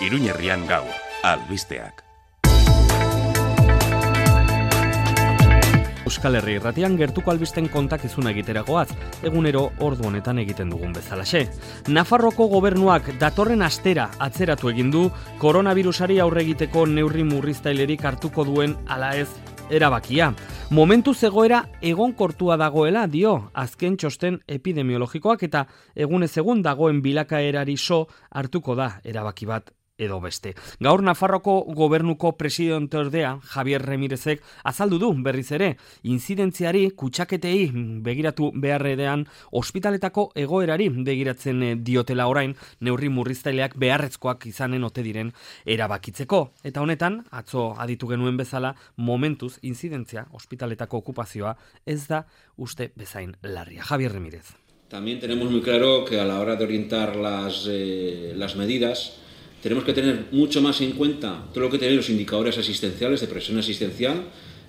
Iruñerrian gaur, albisteak. Euskal Herri Irratian gertuko albisten kontakizuna egiteragoaz, egunero ordu honetan egiten dugun bezalaxe. Nafarroko gobernuak datorren astera atzeratu egin du koronavirusari aurre egiteko neurri murriztailerik hartuko duen ala ez erabakia. Momentu zegoera egonkortua dagoela dio azken txosten epidemiologikoak eta egunez egun dagoen bilakaerari so hartuko da erabaki bat edo beste. Gaur Nafarroko gobernuko presidenteordea Javier Remirezek azaldu du berriz ere, inzidentziari kutsaketei begiratu beharrean ospitaletako egoerari begiratzen diotela orain neurri murriztaileak beharrezkoak izanen ote diren erabakitzeko. Eta honetan, atzo aditu genuen bezala, momentuz inzidentzia ospitaletako okupazioa ez da uste bezain larria. Javier Remirez. También tenemos muy claro que a la hora de orientar las medidas tenemos que tener mucho más en cuenta todo lo que tienen los indicadores asistenciales de presión asistencial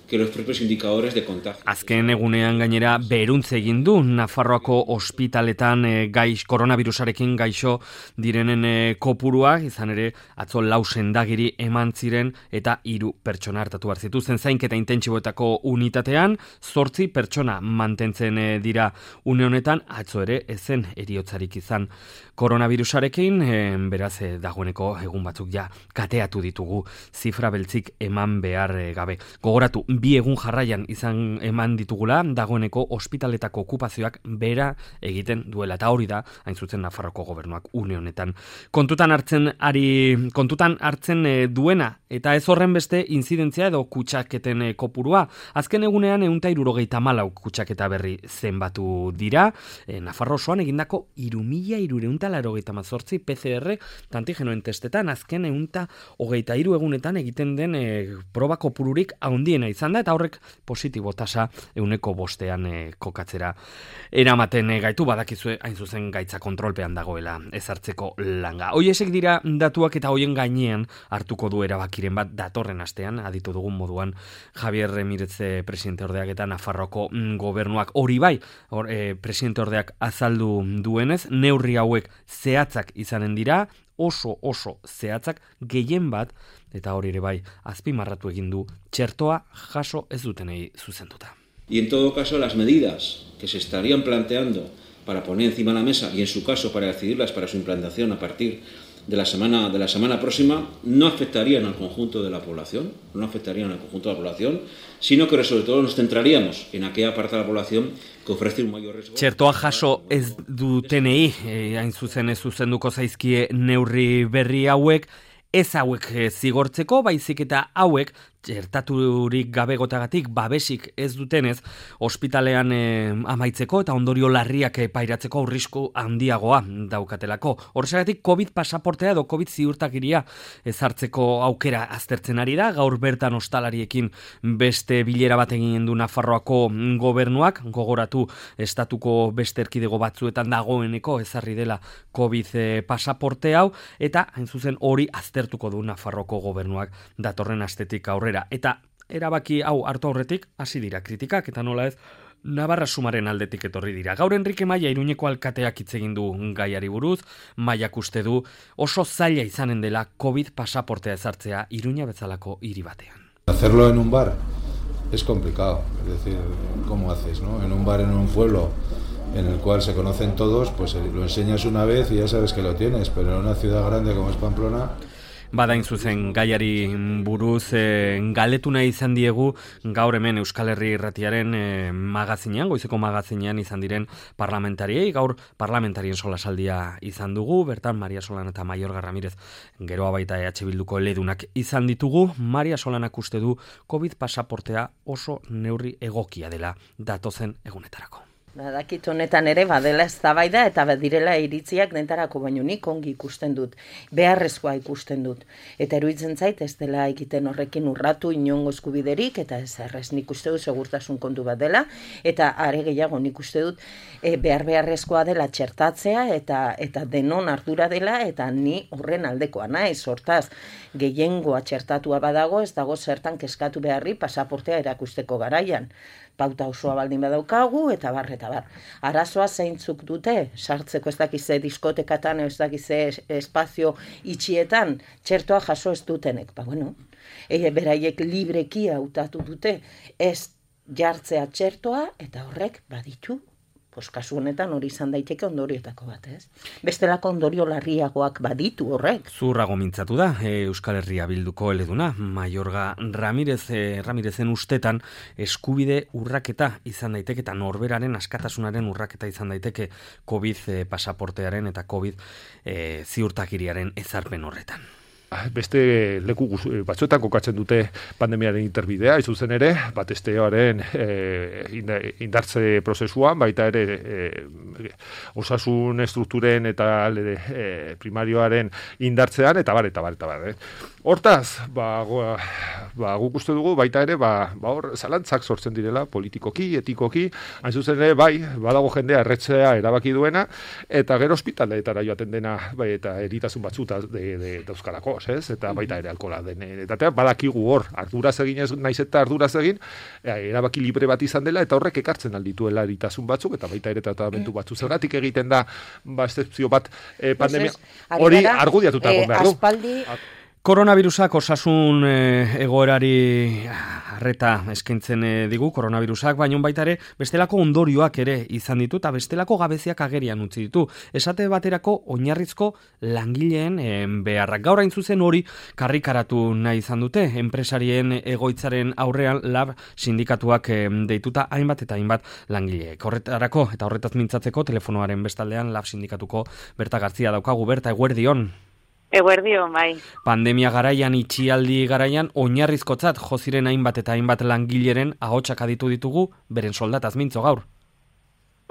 que los propios indicadores de contagio. Azken egunean gainera beruntze egin du Nafarroako ospitaletan koronavirusarekin gaixo direnen kopurua, izan ere atzo 4 sendagiri eman ziren eta 3 pertsona hartatu behar zituzten zainketa intentsiboetako unitatean, 8 pertsona mantentzen dira une honetan, atzo ere ezen heriotzarik izan koronavirusarekin, beraz dagoeneko egun batzuk ja kateatu ditugu zifra beltzik eman behar gabe. Gogoratu, 2 egun jarraian izan eman ditugula, dagoeneko ospitaletako okupazioak bera egiten duela. Eta hori da, hain zuzen Nafarroko gobernuak une honetan. Kontutan hartzen duena, eta ez horren beste inzidentzia edo kutsaketen kopurua. Azken egunean 174 kutsaketa berri zenbatu dira. Nafarro osoan egindako 3.388 PCR antigenoen testetan, azken 123 egunetan egiten den proba kopururik handiena izan da, eta horrek positibo tasa 105 kokatzera eramaten gaitu, badakizue hain zuzen gaitza kontrolpean dagoela ezartzeko langa. Hoiesek dira datuak eta hoien gainean hartuko du erabakiren bat datorren astean, aditu dugun moduan Javier Remirez presidenteordeak eta Nafarroko gobernuak. Hori bai, presidenteordeak azaldu duenez, neurri hauek zehatzak izanen dira, oso zehatzak, gehien bat, eta hori ere bai, azpimarratu egin du, txertoa jaso ez dutenei zuzenduta. Y en todo caso, las medidas que se estarían planteando para poner encima de la mesa, y en su caso para decidirlas para su implantación a partir de la semana próxima, no afectarían al conjunto de la población, sino que sobre todo nos centraríamos en aquella parte de la población que ofrece un mayor riesgo. Txertoa jaso ez dutenei, hain zuzen ez zuzenduko zaizkie neurri berri hauek, ez hauek zigortzeko, baizik eta hauek txertaturik gabegotagatik babesik ez dutenez ospitalean amaitzeko eta ondorio larriak pairatzeko aurrisku handiagoa daukatelako. Horrexegatik COVID pasaportea edo COVID ziurtagiria ezartzeko aukera aztertzen ari da. Gaur bertan ostalariekin beste bilera bat egin du Nafarroako gobernuak, gogoratu estatuko beste erkidego batzuetan dagoeneko ezarri dela COVID pasaporte hau, eta hain zuzen hori aztertuko du Nafarroako gobernuak datorren astetik aurrera. Eta erabaki hau hartu aurretik hasi dira kritikak, eta nola ez Navarra Sumaren aldetik etorri dira. Gaur Enrique Maia Iruñeko alkateak hitz egin du gaiari buruz. Maiak uste du oso zaila izanen dela COVID pasaportea ezartzea Iruña bezalako hiri batean. Hacerlo en un bar es complicado, es decir, ¿cómo haces, no? En un bar en un pueblo en el cual se conocen todos, pues lo enseñas una vez y ya sabes que lo tienes, pero en una ciudad grande como es Pamplona, Badain zuzen gaiari buruz galetu nahi izan diegu gaur hemen Euskal Herri Irratiaren magazinean, goizeko magazinean izan diren parlamentariei. Gaur parlamentarien solasaldia izan dugu, bertan Maria Solana eta Maiorga Ramirez, geroa baita EH Bilduko eledunak izan ditugu. Maria Solanak uste du COVID pasaportea oso neurri egokia dela datozen egunetarako. Badakit honetan ere badela eztabaida eta badirela iritziak dentarako, baino nik ongi ikusten dut, beharrezkoa ikusten dut. Eta eruditzen zait ez dela egiten horrekin urratu inongo eskubiderik, eta ez errez nik uste dut segurtasun kontu bat dela, eta are gehiago nik uste dut beharrezkoa dela txertatzea eta denon ardura dela, eta ni horren aldekoa naiz, hortaz gehiengoa txertatua badago, ez dago zertan kezkatu beharri pasaportea erakusteko garaian. pauta osoa baldin badaukagu, eta bar. Arazoa zeintzuk dute, sartzeko ez dakize diskotekatan, ez dakize espazio itxietan, txertoa jaso ez dutenek. Beraiek libreki hautatu dute, ez jartzea txertoa, eta horrek baditu, kasu honetan hori izan daiteke ondorioetako bat, ez? Bestelako ondorio larriagoak baditu horrek. Zurrago mintzatu da, Euskal Herria Bilduko eleduna, Mayorga Ramirezen ustetan eskubide urraketa izan daiteke, eta norberaren askatasunaren urraketa izan daiteke COVID pasaportearen eta COVID ziurtakiriaren ezarpen horretan. Beste leku batzuetan kokatzen dute pandemiaren interbidea, izuzen ere, batesteoaren indartze prozesuan, baita ere osasun estrukturen eta primarioaren indartzean, eta bar. Hortaz, guk uste dugu, baita ere, hor zalantzak sortzen direla, politikoki, etikoki, hain zuzen ere, badago jendea erretzea erabaki duena, eta gero ospitaleetara joaten dena, eta eritasun batzuta dauzkalako, eta baita ere alkohola den. Eta badakigu hor, arduraz egin ez naiz eta arduraz egin, erabaki libre bat izan dela, eta horrek ekartzen aldituela eritasun batzuk, eta baita ere tratamentu batzu. Zergatik egiten da, excepzio bat pandemia, hori argudiatuta egon behar du. Koronavirusak osasun egoerari arreta eskaintzen digu, koronavirusak, baina baita ere bestelako ondorioak ere izan ditu eta bestelako gabeziak agerian utzi ditu. Esate baterako oinarrizko langileen beharrak. Gaur hain zuzen hori karrikaratu nahi izan dute, enpresarien egoitzaren aurrean lab sindikatuak deituta hainbat eta hainbat langileek. Horretarako eta horretaz mintzatzeko telefonoaren bestaldean lab sindikatuko Berta Garzia daukagu. Berta, eguerdion. Eguerdion, bai. Pandemia garaian, itxialdi garaian, oinarrizkotzat joziren hainbat eta hainbat langileren ahotsak aditu ditugu, beren soldataz mintzo gaur.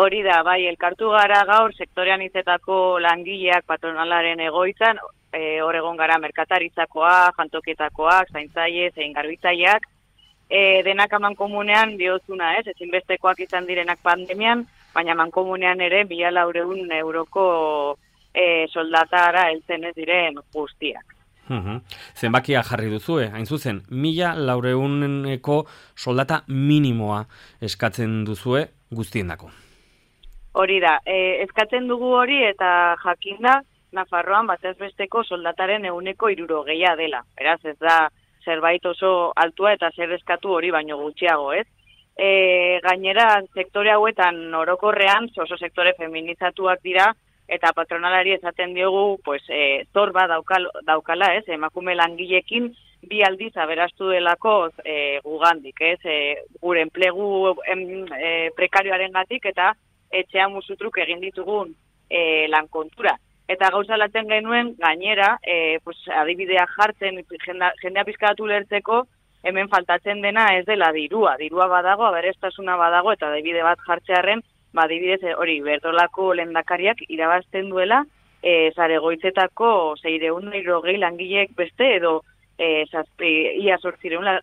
Hori da, bai, elkartu gara gaur, sektorean izetako langileak patronalaren egoitzan, hor egon gara merkataritzakoak, jantokietakoak, zaintzaile, zein garbitzaileak, denak amankomunean diozuna, ezinbestekoak izan direnak pandemian, baina amankomunean ere 1.400 euroko soldatara heltzen ez diren guztiak. Zenbakia jarri duzue, hain zuzen, 1.400eko soldata minimoa eskatzen duzue guztiendako. Hori da, eskatzen dugu hori eta jakinda Nafarroan batez besteko soldataren 60% dela. Beraz, ez da zerbait oso altua eta zer eskatu hori baino gutxiago, ez? Gainera, sektore hauetan orokorrean oso sektore feminizatuak dira, eta patronalari esaten diogu, zor bat daukala, emakume langilekin 2 aldiz aberastu delako gugandik, gure enplegu prekarioarengatik eta etxean musutruk egin ditugun lankontura. Eta gauza laten genuen, gainera, adibidea jartzen, jendea pizkatu lertzeko, hemen faltatzen dena ez dela dirua badago, aberastasuna badago, eta adibide bat jartzearren, adibidez hori bertolako lehendakariak irabazten duela zaregoitzetako 620 langileek beste edo ia 800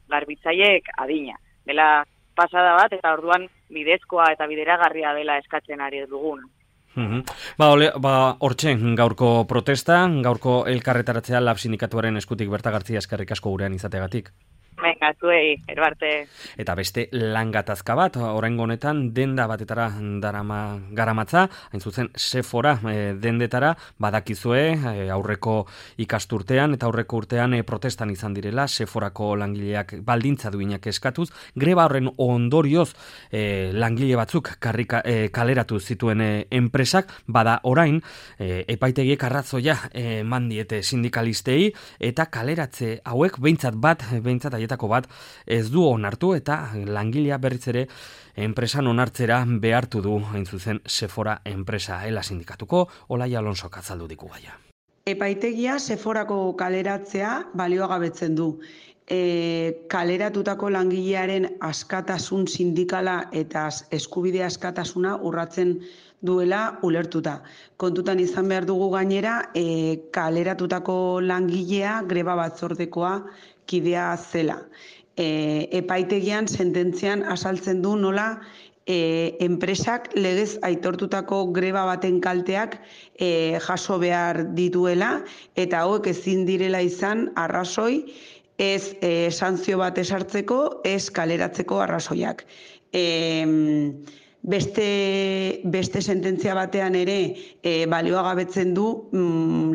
garbitzaileek adina. Dela pasada bat eta orduan bidezkoa eta bideragarria dela eskatzen ari duguna. Hortxe, gaurko protesta, gaurko elkarretaratzea lab sindikatuaren eskutik Berta Garzia eskerrik asko gurean izategatik. Venga, zuei, erbarte. Eta beste langatazka bat, oraingo honetan denda batetara garamatza, hain zuzen Sephora dendetara, badakizue aurreko ikasturtean eta aurreko urtean protestan izan direla, Sephorako langileak baldintza duinak eskatuz, greba horren ondorioz langile batzuk kaleratu zituen enpresak, bada orain, epaitegiek arrazoia eman diete sindikalistei, eta kaleratze hauek behintzat haietako bat ez du onartu eta langilea berriz ere enpresan onartzera behartu du hain zuzen Sephora enpresa ela sindikatuko Olaia Alonsok azaldu diku gaia. Epaitegia Sephorako kaleratzea baliogabetzen du. Kaleratutako langilearen askatasun sindikala eta eskubide askatasuna urratzen duela ulertuta. Kontutan izan behar dugu gainera, kaleratutako langilea greba batzordekoa kidea zela. Epaitegian sententzian azaltzen du nola enpresak legez aitortutako greba baten kalteak jaso behar dituela eta hauek ezin direla izan arrazoi ez sanzio bat esartzeko, ez kaleratzeko arrazoiak. Beste sententzia batean ere balioagabetzen du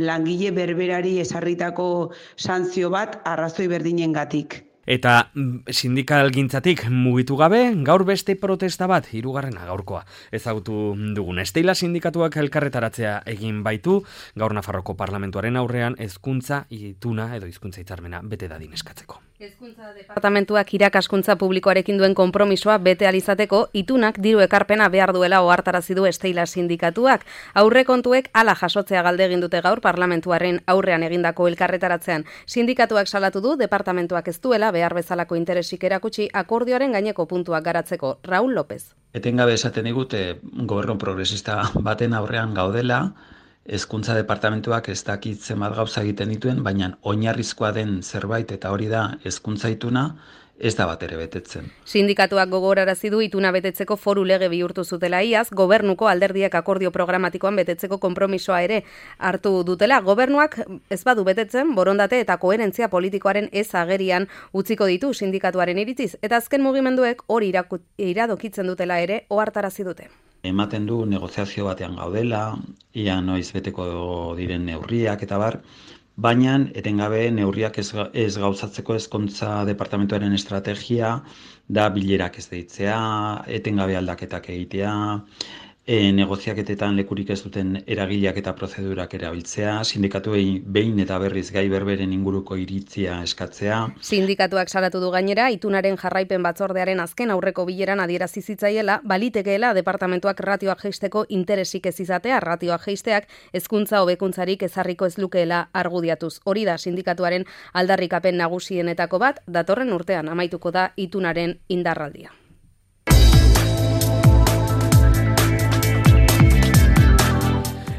langile berberari esarritako sanzio bat arrazoi berdinengatik. Eta sindikalgintzatik mugitu gabe, gaur beste protesta bat, 3. gaurkoa. Ezagutu dugun Esteila sindikatuak elkarretaratzea egin baitu, gaur Nafarroko Parlamentuaren aurrean hezkuntza ituna edo hizkuntza hitzarmena bete dadin eskatzeko. Hezkuntza departamentuak irakaskuntza publikoarekin duen konpromisoa bete alizateko itunak diru ekarpena behar duela ohartarazi du Esteila sindikatuak. Aurrekontuek hala jasotzea galde egin dute gaur parlamentuaren aurrean egindako elkarretaratzean. Sindikatuak salatu du departamentuak ez duela behar bezalako interesik erakutsi akordioaren gaineko puntuak garatzeko. Raúl López. Etengabe esaten digute gobernu progresista baten aurrean gaudela, hezkuntza departamentuak ez dakit zenbat gauza egiten dituen, baina oinarrizkoa den zerbait eta hori da hezkuntza ituna, ez da bat ere betetzen. Sindikatuak gogorarazi du ituna betetzeko foru lege bihurtu zutela iaz, gobernuko alderdiak akordio programatikoan betetzeko konpromisoa ere hartu dutela. Gobernuak ez badu betetzen, borondate eta koherentzia politikoaren ez agerian utziko ditu sindikatuaren iritziz, eta azken mugimenduek hori iradokitzen dutela ere ohartarazi dute. Ematen du negoziazio batean gaudela, ia noiz beteko diren neurriak eta bar, baina etengabe neurriak ez gauzatzeko hezkuntza departamentuaren estrategia da bilerak ez deitzea, etengabe aldaketak egitea, negoziaketetan lekurik ez duten eragileak eta prozedurak erabiltzea, sindikatuei behin eta berriz gai berberen inguruko iritzia eskatzea. Sindikatuak salatu du gainera, itunaren jarraipen batzordearen azken aurreko bileran adierazi zitzaiela, balitekeela departamentuak ratioak jeisteko interesik ez izatea, ratioak jeisteak hezkuntza hobekuntzarik ezarriko ez lukeela argudiatuz. Hori da sindikatuaren aldarrikapen nagusienetako bat, datorren urtean amaituko da itunaren indarraldia.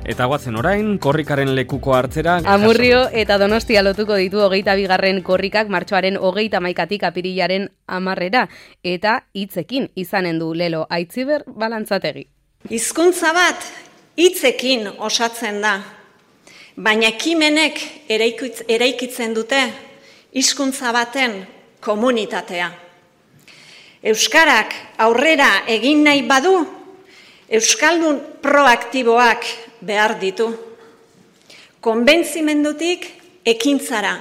Eta guazen orain, korrikaren lekuko hartzera... Amurrio eta Donostia lotuko ditu 22. korrikak martxoaren 31 apirilaren 10 eta hitzekin izanen du Lelo Aitziber Balantzategi. Hizkuntza bat hitzekin osatzen da, baina ekimenek eraikitzen dute hizkuntza baten komunitatea. Euskarak aurrera egin nahi badu, euskaldun proaktiboak behar ditu. Konbentzimendutik ekintzara,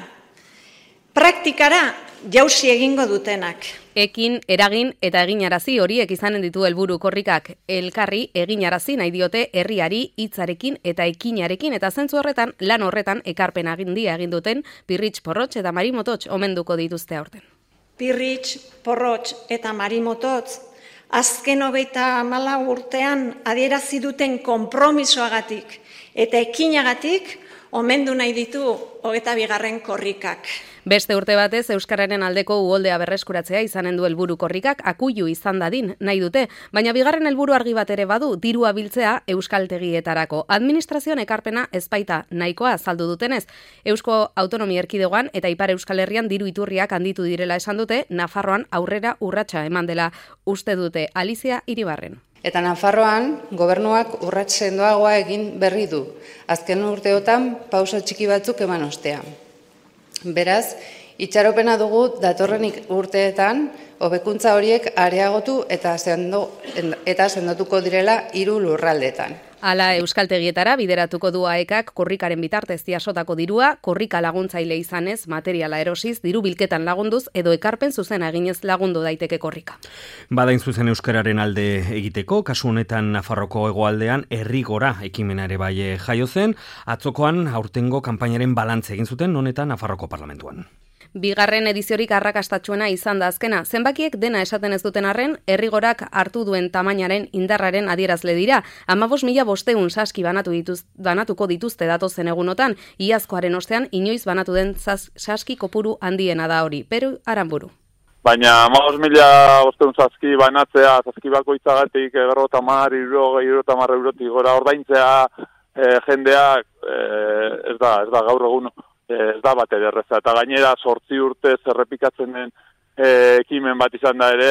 praktikara jausi egingo dutenak. Ekin, eragin eta eginarazi horiek izanen ditu helburu korrikak. Elkarri eginarazi nahi diote herriari hitzarekin eta ekinarekin, eta zentzu horretan, lan horretan ekarpen agindia egin duten Pirritx Porrotx eta Mari Mototx omenduko dituzte aurten. Pirritx, Porrotx eta Mari Mototx azken 34 urtean adierazi duten konpromisoagatik eta ekinagatik omendu nahi ditu 22. korrikak. Beste urte batez euskararen aldeko uholdea berreskuratzea izanen du helburu korrikak, akuilu izan dadin nahi dute, baina bigarren helburu argi bat ere badu, dirua biltzea euskaltegietarako. Administrazioan ekarpena ez baita nahikoa azaldu dutenez. Eusko Autonomia Erkidegoan eta Ipar Euskal Herrian diru iturriak handitu direla esan dute, Nafarroan aurrera urratsa eman dela uste dute. Alizia Iribarren. Eta Nafarroan, gobernuak urrats sendoagoa egin berri du. Azken urteotan pauso txiki batzuk eman ostean. Beraz, itxaropena dugu datorren urteetan hobekuntza horiek areagotu eta sendotuko direla 3 lurraldetan. Hala euskaltegietara bideratuko du AEKak korrikaren bitartez jasotako dirua, korrika laguntzaile izanez, materiala erosiz, diru bilketan lagunduz edo ekarpen zuzena eginez lagundu daiteke korrika. Badain zuzen euskararen alde egiteko, kasu honetan Nafarroko hegoaldean herrigora ekimenare bai jaio zen, atzokoan aurtengo kanpainaren balantze egin zuten honetan Nafarroko Parlamentuan. Bigarren ediziorik arrakastatsuena izan da azkena. Zenbakiek dena esaten ez duten arren, herrigorak hartu duen tamainaren indarraren adierazle dira. 15.500 saski banatuko dituzte datozen egunotan, iazkoaren ostean inoiz banatu den saski kopuru handiena da hori. Peru Aranburu. Baina 15.500 saski banatzea, saski bakoitzagatik 50 eurotik gora ordaintzea jendeak ez da gaur egun. Ez da bat ederreza, eta gainera 8 urtez errepikatzen den ekimen bat izan da ere,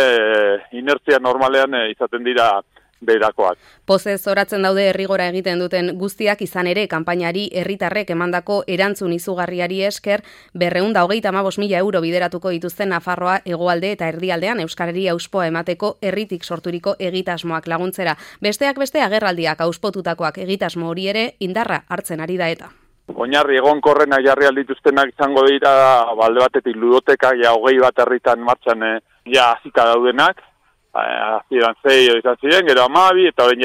inertzia normalean izaten dira berakoak. Pozez oratzen daude herrigora egiten duten guztiak, izan ere kanpainari herritarrek emandako erantzun izugarriari esker 235.000 euro bideratuko dituzten Nafarroa hegoalde eta erdialdean euskarari auspoa emateko herritik sorturiko egitasmoak laguntzera. Besteak beste agerraldiak auspotutakoak egitasmo hori ere indarra hartzen ari da eta. Oinarri egonkorrena jarri aldituztenak izango dira, balde batetik ludoteka, 21 herritan martxan hasita daudenak, hasieran 6 izan ziren, gero 12, eta orain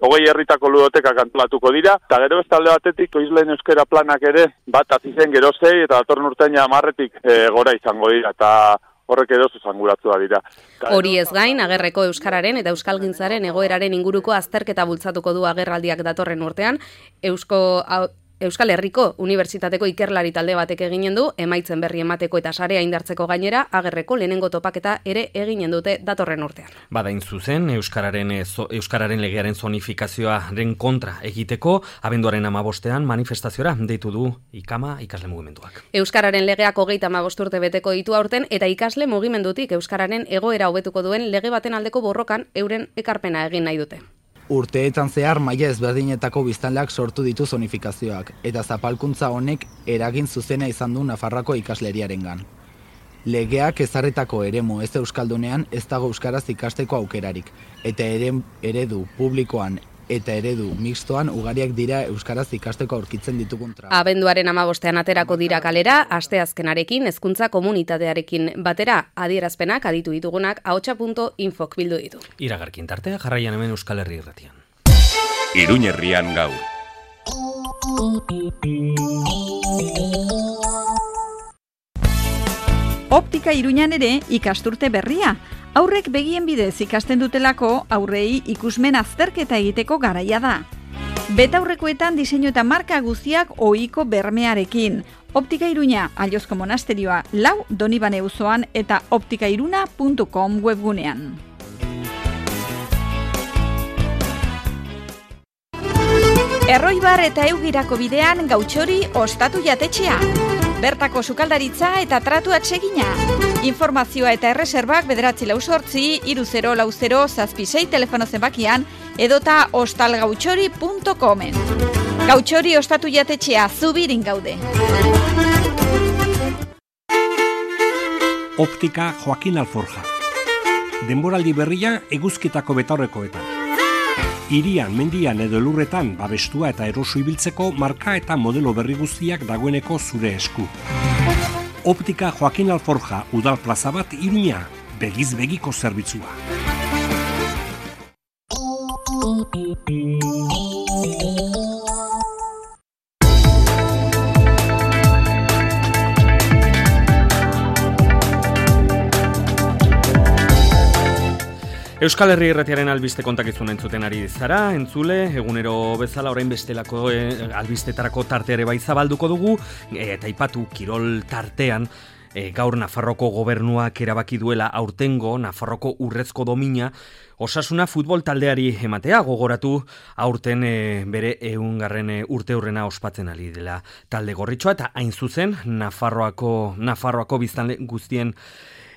20 herritako ludotekak antolatuko dira, eta gero beste alde batetik Oizleen euskera planak ere, bat hasi zen gero 6, eta datorren urtean 10-tik gora izango dira, eta horrek edo zuzanguratua dira. Hori ez gain, agerreko euskararen eta euskalgintzaren egoeraren inguruko azterketa bultzatuko du agerraldiak datorren urtean, Euskal Herriko Unibertsitateko ikerlari talde batek eginen du, emaitzen berri emateko eta sarea indartzeko gainera, agerreko lehenengo topaketa ere eginen dute datorren urtean. Badain zuzen, Euskararen legearen zonifikazioaren kontra egiteko, abenduaren 15ean manifestaziora deitu du IKAMA ikasle mugimenduak. Euskararen legeak 35 urte beteko ditu aurten, eta ikasle mugimendutik Euskararen egoera hobetuko duen lege baten aldeko borrokan euren ekarpena egin nahi dute. Urteetan zehar maila ezberdinetako biztanleak sortu ditu zonifikazioak, eta zapalkuntza honek eragin zuzena izan du Nafarroako ikasleriarengan. Legeak ezarritako eremu ez euskaldunean ez dago euskaraz ikasteko aukerarik, eta eredu publikoan eta eredu mixtoan ugariak dira euskaraz ikasteko aurkitzen ditugun traba. Abenduaren 15ean aterako dira kalera, asteazkenarekin hezkuntza komunitatearekin batera, adierazpenak aditu ditugunak ahotsa.infok bildu ditu. Iragarkin tartea jarraian hemen Euskal Herri Irratian. Iruñerrian gaur. Optika Iruñan ere ikasturte berria. Aurrek begien bidez ikasten dutelako aurrei ikusmen azterketa egiteko garaia da. Betaurrekoetan diseinu eta marka guztiak ohiko bermearekin. Optika Iruña, Allozko monasterioa 4 Donibane auzoan eta optikairuna.com webgunean. Erroibar eta Eugirako bidean Gautxori ostatu jatetxea. Bertako sukaldaritza eta tratu atsegina. Informazioa eta erreserbak 948-3040-76 telefono zenbakian edota ostalgautxori.comen. Gautxori ostatu jatetxea, Zubirin gaude. Optika Joaquin Alforja. Denboraldi berria eguzkitako betaurrekoetan. Hirian, mendian edo elurretan babestua eta eroso ibiltzeko marka eta modelo berri guztiak dagoeneko zure esku. Optika Joaquin Alforja, udal plaza bat Iruña, begiz begiko zerbitzua. Euskal Herri Irratiaren albiste kontakizun entzuten ari zara, entzule, egunero bezala orain bestelako albistetarako tarte ere bai zabalduko dugu, eta aipatu kirol tartean, gaur Nafarroko gobernuak erabaki duela aurtengo Nafarroko urrezko domina Osasuna futbol taldeari ematea, gogoratu aurten bere 100. urteurrena ospatzen ari dela talde gorritxoa, eta hain zuzen Nafarroako biztanle guztien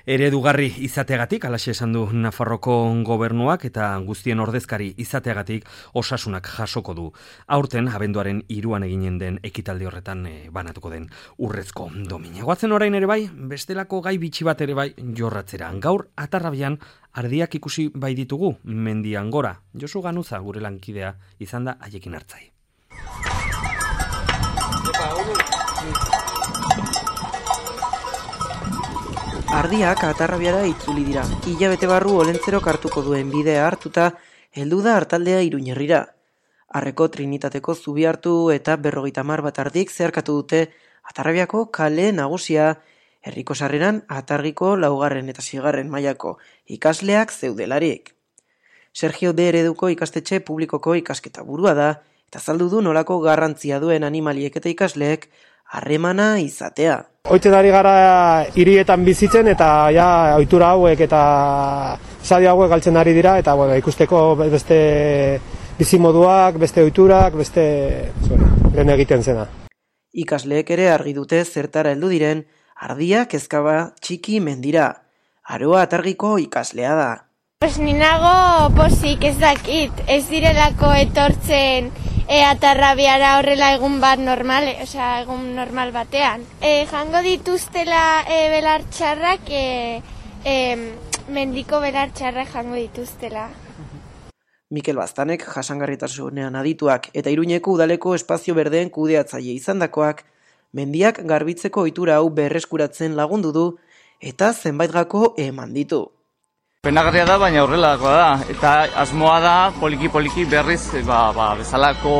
eredugarri izateagatik, alaxe esan du Nafarroko gobernuak, eta guztien ordezkari izateagatik Osasunak jasoko du. Aurten, abenduaren 3 eginen den ekitaldi horretan banatuko den urrezko domina. Goazen orain ere bai, bestelako gai bitxi bat ere bai jorratzera. Gaur, Atarrabian, ardiak ikusi bai ditugu, mendian gora. Josu Ganuza, gure lankidea, izan da haiekin hartzai. Ardiak Atarrabiara itzuli dira. Hilabete barru Olentzerok hartuko duen bidea hartuta, heldu da Artaldea Iruñerrira. Arreko Trinitateko zubi hartu eta 50 bat ardik zeharkatu dute Atarrabiako kale nagusia, herriko sarreran Atargiko 4. eta 6. mailako ikasleak zeudelarik. Sergio B. Ereduko ikastetxe publikoko ikasketa burua da, eta azaldu du nolako garrantzia duen animaliek eta ikasleek harremana izatea. Oitzen gara hirietan bizitzen eta ja ohitura hauek eta zadi hauek galtzen ari dira, eta ikusteko beste bizimoduak, beste ohiturak, beste lehen egiten zena. Ikasleek ere argi dute zertara heldu diren, Ardia kezkaba txiki mendira. Aroa Atargiko ikaslea da. Pues ninago posik ez dakit, ez direlako etortzen atarrabiara horrela egun bat normal, egun normal batean. Jango dituztela belartxarrak, mendiko belartxarrak jango dituztela. Mikel Baztanek jasangarritasunean adituak eta Iruñeko udaleko espazio berdeen kudeatzaile izandakoak mendiak garbitzeko ohitura hau berreskuratzen lagundu du eta zenbait gako eman ditu. Penagarria da, baina horrelakoa da, eta asmoa da poliki-poliki berriz bezalako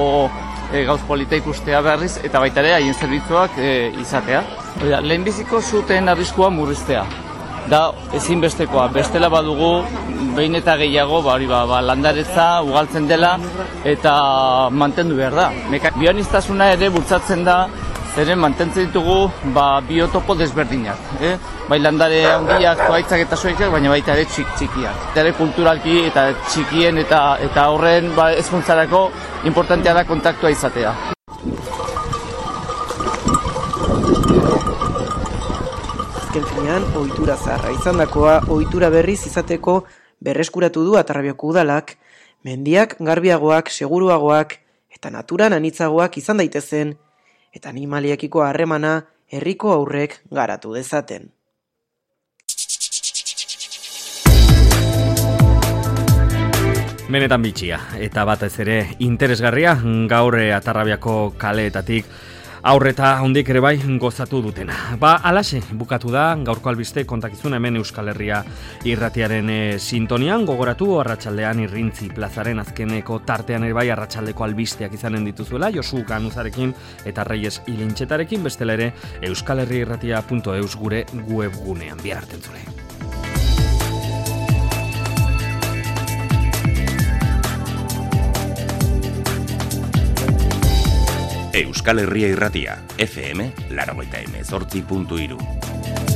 gauz polita ikustea berriz, eta baita ere haien zerbitzuak izatea. Lehenbiziko zuten arriskua murriztea. Da ezinbestekoa, bestela badugu behin eta gehiago landaretza ugaltzen dela eta mantendu behar da. Bioaniztasuna ere bultzatzen da, zeren mantentzen ditugu biotopo desberdinak. Bai landare handiak, zuaitzak eta zuaitzak, baina baita ere txikiak. Eta ere kulturalki eta txikien eta horren ezkuntzarako importantea da kontaktua izatea. Azken finean, ohitura zaharra izandakoa, ohitura berriz izateko berreskuratu du Atarrabiako udalak, mendiak garbiagoak, seguruagoak eta naturan anitzagoak izan daitezen, eta animaliekiko harremana herriko aurrek garatu dezaten. Benetan bitxia, eta batez ere interesgarria gaur Atarrabiako kaleetatik aurreta hondik ere bai gozatu dutena. Alaxe, bukatu da gaurko albiste kontakizuna hemen Euskal Herria irratiaren sintonian, gogoratu arratsaldean Irrintzi plazaren azkeneko tartean ere bai arratsaldeko albisteak izanen dituzuela, Josu Ganuzarekin eta Reyes Ilintxetarekin, bestela ere euskalherriirratia.eus gure webgunean. Bihar arte entzule. Euskal Herria Irratia, FM 88.3.